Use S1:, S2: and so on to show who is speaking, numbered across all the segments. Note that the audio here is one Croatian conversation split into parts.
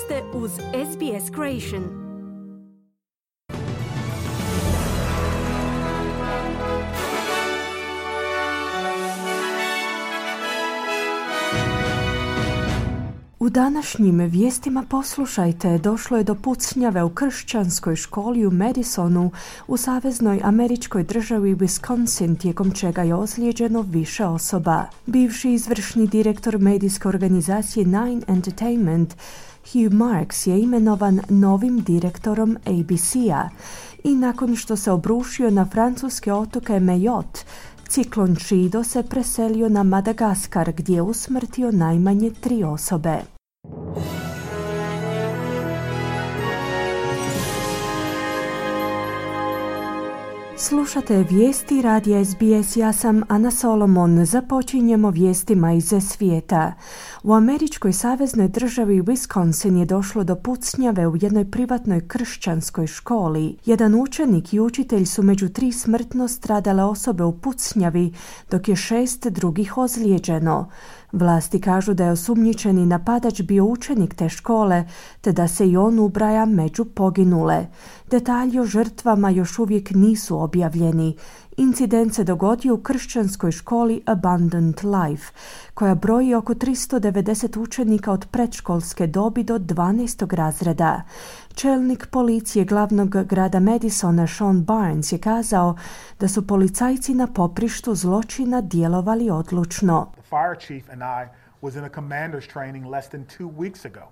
S1: ste uz SBS Creation. U današnjim vijestima poslušajte, došlo je do pucnjave u kršćanskoj školi u Madisonu u saveznoj američkoj državi Wisconsin, tijekom čega je ozlijeđeno više osoba. Bivši izvršni direktor medijske organizacije Nine Entertainment, Hugh Marks, je imenovan novim direktorom ABC-a i nakon što se obrušio na francuske otoke Mayotte, ciklon Chido se preselio na Madagaskar gdje je usmrtio najmanje 3 osobe. Slušate vijesti radija SBS, ja sam Ana Solomon. Započinjemo vijestima iz svijeta. U američkoj saveznoj državi Wisconsin je došlo do pucnjave u jednoj privatnoj kršćanskoj školi. Jedan učenik i učitelj su među 3 smrtno stradale osobe u pucnjavi, dok je 6 drugih ozlijeđeno. Vlasti kažu da je osumnjičeni napadač bio učenik te škole, te da se i on ubraja među poginule. Detalji o žrtvama još uvijek nisu objavljeni. Incident se dogodio u kršćanskoj školi Abundant Life, koja broji oko 390 učenika od predškolske dobi do 12. razreda. Čelnik policije glavnog grada Madisona, Sean Barnes, je kazao da su policajci na poprištu zločina djelovali odlučno.
S2: The fire chief and I was in a commander's training less than 2 weeks ago.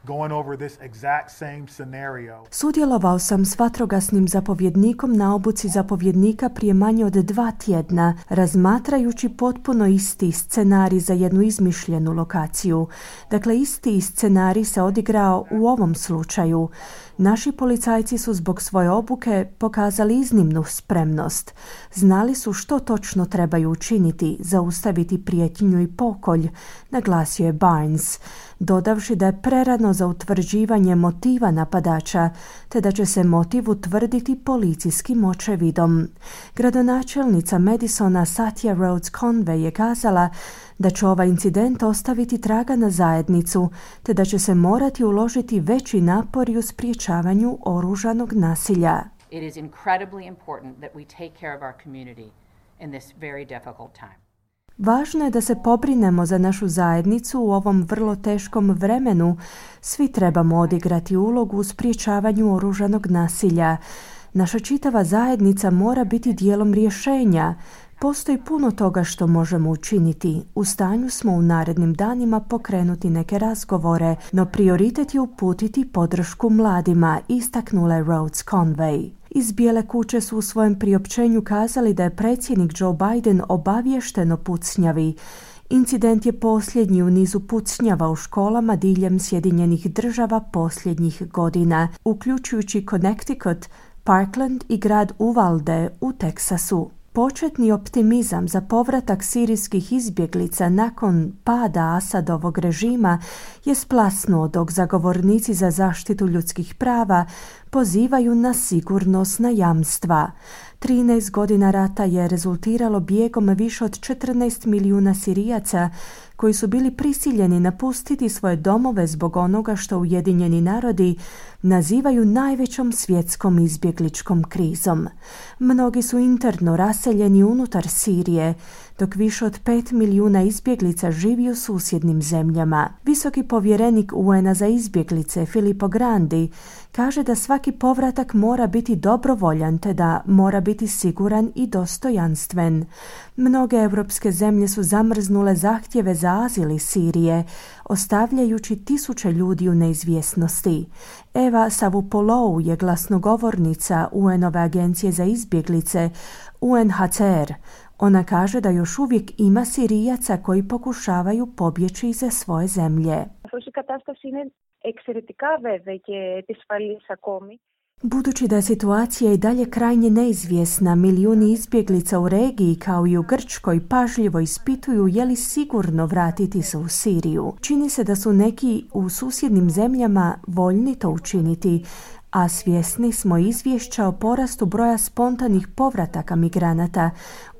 S2: Going over this exact same scenario.
S1: Sudjelovao sam s vatrogasnim zapovjednikom na obuci zapovjednika prije manje od 2 tjedna, razmatrajući potpuno isti scenarij za jednu izmišljenu lokaciju. Dakle, isti scenarij se odigrao u ovom slučaju. Naši policajci su zbog svoje obuke pokazali iznimnu spremnost. Znali su što točno trebaju učiniti, zaustaviti prijetnju i pokolj, naglasio je Barnes, dodavši da je prerano za utvrđivanje motiva napadača, te da će se motiv utvrditi policijskim očevidom. Gradonačelnica Madisona Satya Rhodes Conway je kazala da će ovaj incident ostaviti traga na zajednicu, te da će se morati uložiti veći napori u sprječavanju oružanog nasilja.
S3: It is incredibly important that we take care of our community in this very difficult time.
S1: Važno je da se pobrinemo za našu zajednicu u ovom vrlo teškom vremenu. Svi trebamo odigrati ulogu u sprječavanju oružanog nasilja. Naša čitava zajednica mora biti dijelom rješenja. Postoji puno toga što možemo učiniti. U stanju smo u narednim danima pokrenuti neke razgovore, no prioritet je uputiti podršku mladima, istaknula je Rhodes Conway. Iz Bijele kuće su u svojem priopćenju kazali da je predsjednik Joe Biden obaviješten o pucnjavi. Incident je posljednji u nizu pucnjava u školama diljem Sjedinjenih država posljednjih godina, uključujući Connecticut, Parkland i grad Uvalde u Teksasu. Početni optimizam za povratak sirijskih izbjeglica nakon pada Asadovog režima je splasnuo, dok zagovornici za zaštitu ljudskih prava pozivaju na sigurnosna jamstva. 13 godina rata je rezultiralo bijegom više od 14 milijuna Sirijaca koji su bili prisiljeni napustiti svoje domove zbog onoga što Ujedinjeni narodi nazivaju najvećom svjetskom izbjegličkom krizom. Mnogi su interno raseljeni unutar Sirije, dok više od 5 milijuna izbjeglica živi u susjednim zemljama. Visoki povjerenik UN-a za izbjeglice Filippo Grandi kaže da svaki povratak mora biti dobrovoljan, te da mora biti siguran i dostojanstven. Mnoge europske zemlje su zamrznule zahtjeve za azil iz Sirije, ostavljajući tisuće ljudi u neizvjesnosti. Eva Savupolou je glasnogovornica UN-ove agencije za izbjeglice UNHCR. Ona kaže da još uvijek ima Sirijaca koji pokušavaju pobjeći iz svoje zemlje. Budući da je situacija i dalje krajnje neizvjesna, milijuni izbjeglica u regiji kao i u Grčkoj pažljivo ispituju je li sigurno vratiti se u Siriju. Čini se da su neki u susjednim zemljama voljni to učiniti, a svjesni smo izvješća o porastu broja spontanih povrataka migranata,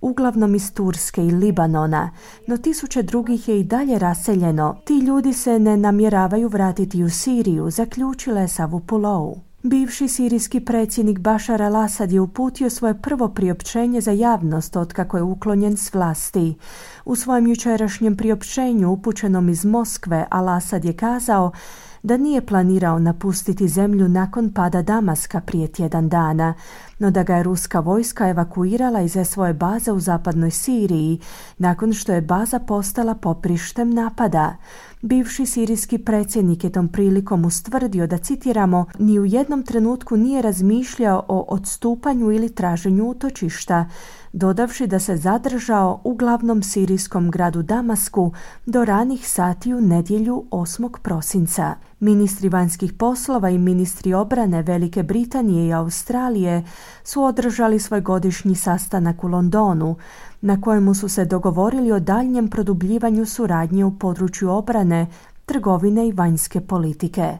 S1: uglavnom iz Turske i Libanona, no tisuće drugih je i dalje raseljeno. Ti ljudi se ne namjeravaju vratiti u Siriju, zaključila je Savupulou. Bivši sirijski predsjednik Bašar al-Asad je uputio svoje prvo priopćenje za javnost otkako je uklonjen s vlasti. U svojem jučerašnjem priopćenju upućenom iz Moskve, al-Asad je kazao da nije planirao napustiti zemlju nakon pada Damaska prije tjedan dana, no da ga je ruska vojska evakuirala iz svoje baze u zapadnoj Siriji, nakon što je baza postala poprištem napada. Bivši sirijski predsjednik je tom prilikom ustvrdio da, citiramo, ni u jednom trenutku nije razmišljao o odstupanju ili traženju utočišta, dodavši da se zadržao u glavnom sirijskom gradu Damasku do ranih sati u nedjelju 8. prosinca. Ministri vanjskih poslova i ministri obrane Velike Britanije i Australije su održali svoj godišnji sastanak u Londonu, na kojemu su se dogovorili o daljnjem produbljivanju suradnje u području obrane, trgovine i vanjske politike.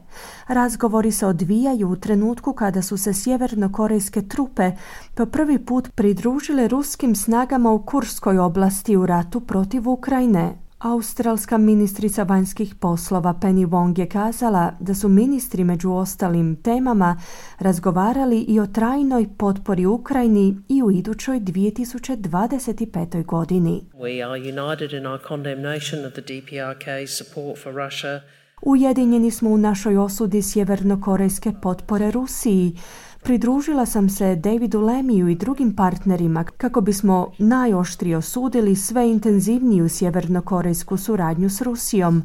S1: Razgovori se odvijaju u trenutku kada su se sjevernokorejske trupe po prvi put pridružile ruskim snagama u Kurskoj oblasti u ratu protiv Ukrajine. Australska ministrica vanjskih poslova Penny Wong je kazala da su ministri među ostalim temama razgovarali i o trajnoj potpori Ukrajini i u idućoj 2025. godini.
S4: We are united in our condemnation of the DPRK's support for Russia.
S1: Ujedinjeni smo u našoj osudi sjevernokorejske potpore Rusiji. Pridružila sam se Davidu Lemiju i drugim partnerima kako bismo najoštrije osudili sve intenzivniju sjevernokorejsku suradnju s Rusijom.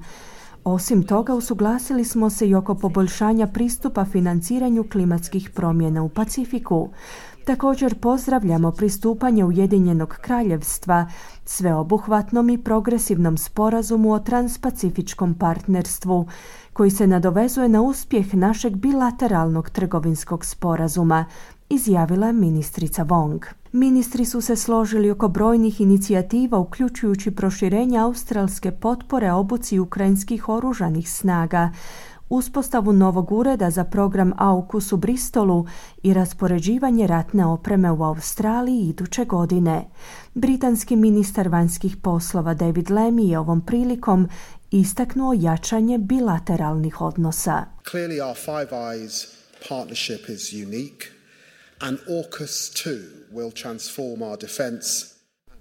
S1: Osim toga, usuglasili smo se i oko poboljšanja pristupa financiranju klimatskih promjena u Pacifiku. Također pozdravljamo pristupanje Ujedinjenog kraljevstva sveobuhvatnom i progresivnom sporazumu o transpacifičkom partnerstvu, koji se nadovezuje na uspjeh našeg bilateralnog trgovinskog sporazuma, izjavila je ministrica Wong. Ministri su se složili oko brojnih inicijativa, uključujući proširenje australske potpore obuci ukrajinskih oružanih snaga, uspostavu novog ureda za program AUKUS u Bristolu i raspoređivanje ratne opreme u Australiji iduće godine. Britanski ministar vanjskih poslova David Lemmy je ovom prilikom istaknuo jačanje bilateralnih odnosa.
S5: Clearly our Five Eyes partnership is unique and AUKUS too will transform our defense.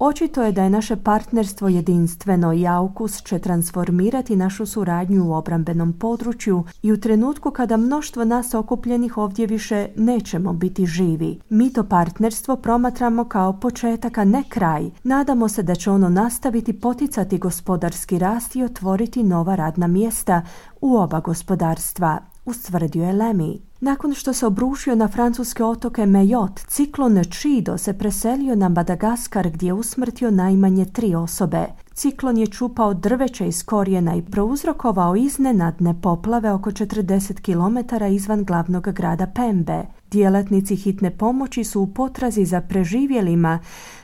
S1: Očito je da je naše partnerstvo jedinstveno i AUKUS će transformirati našu suradnju u obrambenom području i u trenutku kada mnoštvo nas okupljenih ovdje više nećemo biti živi. Mi to partnerstvo promatramo kao početak, a ne kraj. Nadamo se da će ono nastaviti poticati gospodarski rast i otvoriti nova radna mjesta u oba gospodarstva, ustvrdio je Lemmy. Nakon što se obrušio na francuske otoke Mayotte, ciklon Chido se preselio na Madagaskar gdje je usmrtio najmanje 3 osobe. Ciklon je čupao drveće iz korijena i prouzrokovao iznenadne poplave oko 40 km izvan glavnog grada Pembe. Djelatnici hitne pomoći su u potrazi za preživjelima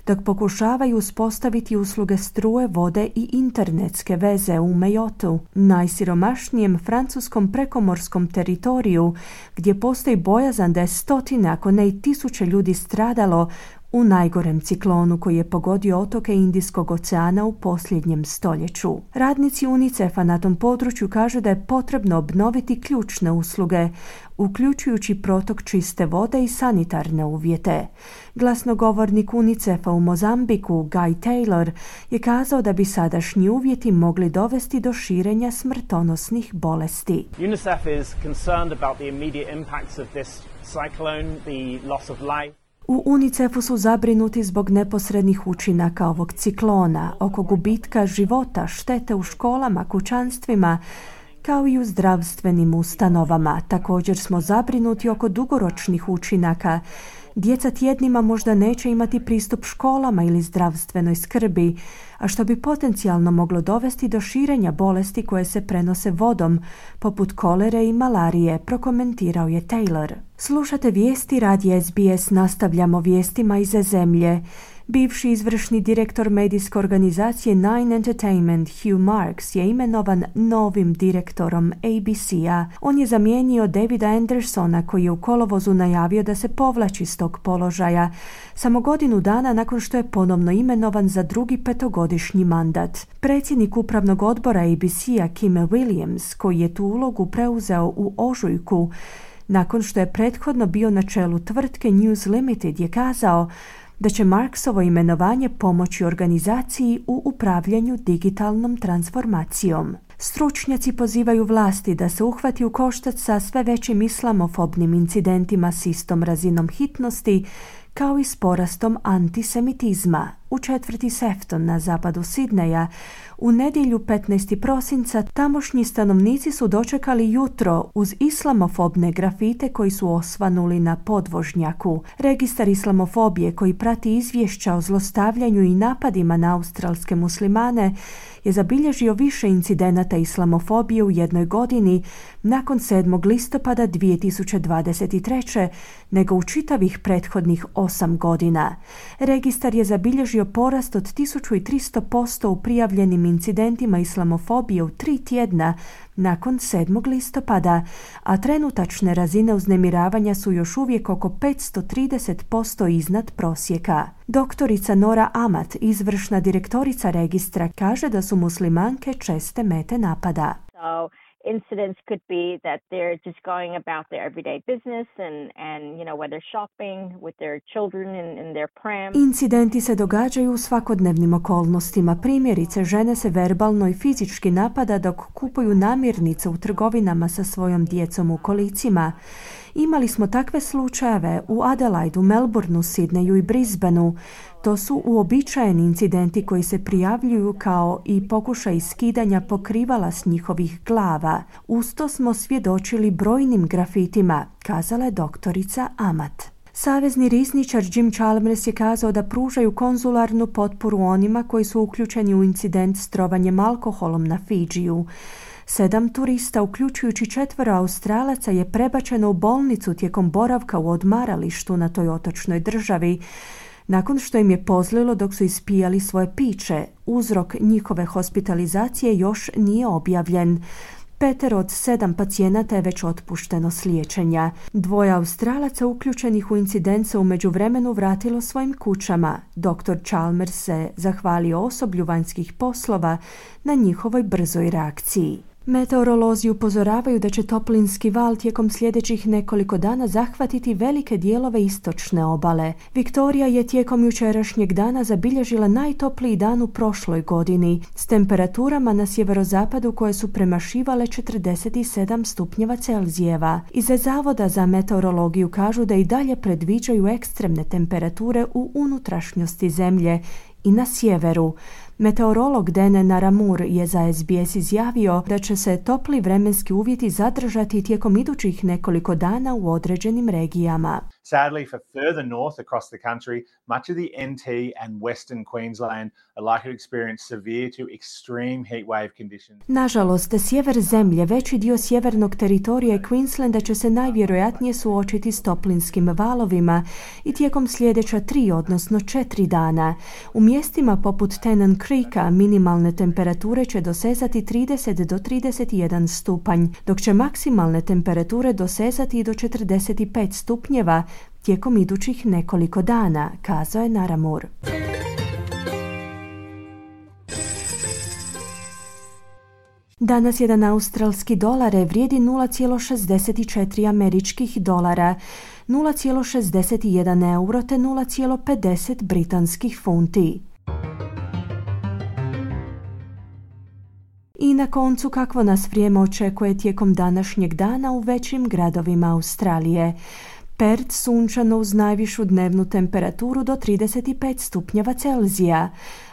S1: dok pokušavaju uspostaviti usluge struje, vode i internetske veze u Mayottu, najsiromašnijem francuskom prekomorskom teritoriju gdje postoji bojazan da je stotine, ako ne i tisuće ljudi stradalo u najgorem ciklonu koji je pogodio otoke Indijskog oceana u posljednjem stoljeću. Radnici UNICEF-a na tom području kažu da je potrebno obnoviti ključne usluge, uključujući protok čiste vode i sanitarne uvjete. Glasnogovornik UNICEF-a u Mozambiku, Guy Taylor, je kazao da bi sadašnji uvjeti mogli dovesti do širenja smrtonosnih bolesti.
S6: UNICEF is concerned about the immediate impacts of this cyclone, the loss of life.
S1: U UNICEF-u su zabrinuti zbog neposrednih učinaka ovog ciklona, oko gubitka života, štete u školama, kućanstvima, kao i u zdravstvenim ustanovama. Također smo zabrinuti oko dugoročnih učinaka. Djeca tjednima možda neće imati pristup školama ili zdravstvenoj skrbi, a što bi potencijalno moglo dovesti do širenja bolesti koje se prenose vodom, poput kolere i malarije, prokomentirao je Taylor. Slušate vijesti radija SBS, nastavljamo vijestima iz zemlje. Bivši izvršni direktor medijske organizacije Nine Entertainment Hugh Marks je imenovan novim direktorom ABC-a. On je zamijenio Davida Andersona koji je u kolovozu najavio da se povlači s tog položaja, samo godinu dana nakon što je ponovno imenovan za drugi 5-godišnji mandat. Predsjednik upravnog odbora ABC-a Kim Williams, koji je tu ulogu preuzeo u ožujku, nakon što je prethodno bio na čelu tvrtke News Limited, je kazao da će Marksovo imenovanje pomoći organizaciji u upravljanju digitalnom transformacijom. Stručnjaci pozivaju vlasti da se uhvati u koštac sa sve većim islamofobnim incidentima s istom razinom hitnosti, kao i s porastom antisemitizma. U četvrti Sefton na zapadu Sidneja u nedjelju 15. prosinca tamošnji stanovnici su dočekali jutro uz islamofobne grafite koji su osvanuli na podvožnjaku. Registar islamofobije koji prati izvješća o zlostavljanju i napadima na australske muslimane je zabilježio više incidenata islamofobije u jednoj godini nakon 7. listopada 2023. nego u čitavih prethodnih 8 godina. Registar je zabilježio porast od 1300% u prijavljenim incidentima islamofobije u 3 tjedna nakon 7. listopada, a trenutačne razine uznemiravanja su još uvijek oko 530% iznad prosjeka. Doktorica Nora Amat, izvršna direktorica registra, kaže da su muslimanke česte mete napada.
S7: Incidents could be that they're just going about their everyday business and where they're shopping with their children in their pram.
S1: Incidenti se događaju u svakodnevnim okolnostima. Primjerice, žene se verbalno i fizički napada dok kupuju namirnice u trgovinama sa svojom djecom u kolicima. Imali smo takve slučajeve u Adelaidu, Melbourneu, Sidneju i Brisbaneu. To su uobičajeni incidenti koji se prijavljuju kao i pokušaj skidanja pokrivala s njihovih glava. Uz to smo svjedočili brojnim grafitima, kazala je doktorica Amat. Savezni rizničar Jim Chalmers je kazao da pružaju konzularnu potporu onima koji su uključeni u incident s trovanjem alkoholom na Fidžiju. 7 turista, uključujući 4 Australaca, je prebačeno u bolnicu tijekom boravka u odmaralištu na toj otočnoj državi, nakon što im je pozlilo dok su ispijali svoje piće. Uzrok njihove hospitalizacije još nije objavljen. 5 od 7 pacijenata je već otpušteno s liječenja. 2 Australaca uključenih u incident se u međuvremenu vratilo svojim kućama. Dr. Chalmers se zahvalio osoblju vanjskih poslova na njihovoj brzoj reakciji. Meteorolozi upozoravaju da će toplinski val tijekom sljedećih nekoliko dana zahvatiti velike dijelove istočne obale. Viktorija je tijekom jučerašnjeg dana zabilježila najtopliji dan u prošloj godini, s temperaturama na sjeverozapadu koje su premašivale 47 stupnjeva Celzijeva. Iz Zavoda za meteorologiju kažu da i dalje predviđaju ekstremne temperature u unutrašnjosti zemlje i na sjeveru. Meteorolog Dan Naramur je za SBS izjavio da će se topli vremenski uvjeti zadržati tijekom idućih nekoliko dana u određenim regijama.
S8: Sadly, for further north across the country, much of the NT and western Queensland are likely to experience severe to extreme heat wave conditions.
S1: Nažalost, sjever zemlje, veći dio sjevernog teritorija i Queenslanda će se najvjerojatnije suočiti s toplinskim valovima i tijekom sljedeća 3, odnosno 4 dana. U mjestima poput Tennant Creeka minimalne temperature će dosezati 30 do 31 stupanj, dok će maksimalne temperature dosezati do 45 stupnjeva tijekom idućih nekoliko dana, kazao je Naramur. Danas jedan australski dolar vrijedi 0,64 američkih dolara, 0,61 euro te 0,50 britanskih funti. I na koncu, kakvo nas vrijeme očekuje tijekom današnjeg dana u većim gradovima Australije. Perth sunčano uz najvišu dnevnu temperaturu do 35 stupnjeva Celzija.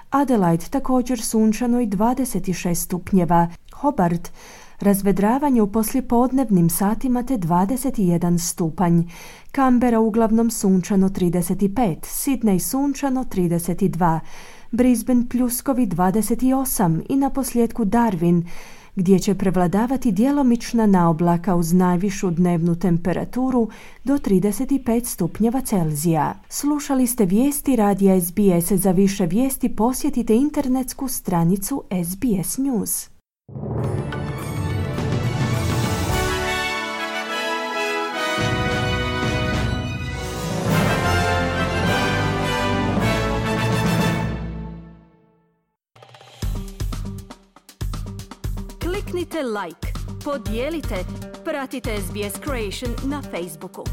S1: Adelaide također sunčano i 26 stupnjeva. Hobart razvedravanje u poslijepodnevnim satima te 21 stupanj. Canberra uglavnom sunčano 35, Sydney sunčano 32, Brisbane pljuskovi 28 i na posljedku Darwin gdje će prevladavati djelomična naoblaka uz najvišu dnevnu temperaturu do 35 stupnjeva Celzija. Slušali ste vijesti radija SBS. Za više vijesti posjetite internetsku stranicu SBS News.
S9: Kliknite like, podijelite, pratite SBS Creation na Facebooku.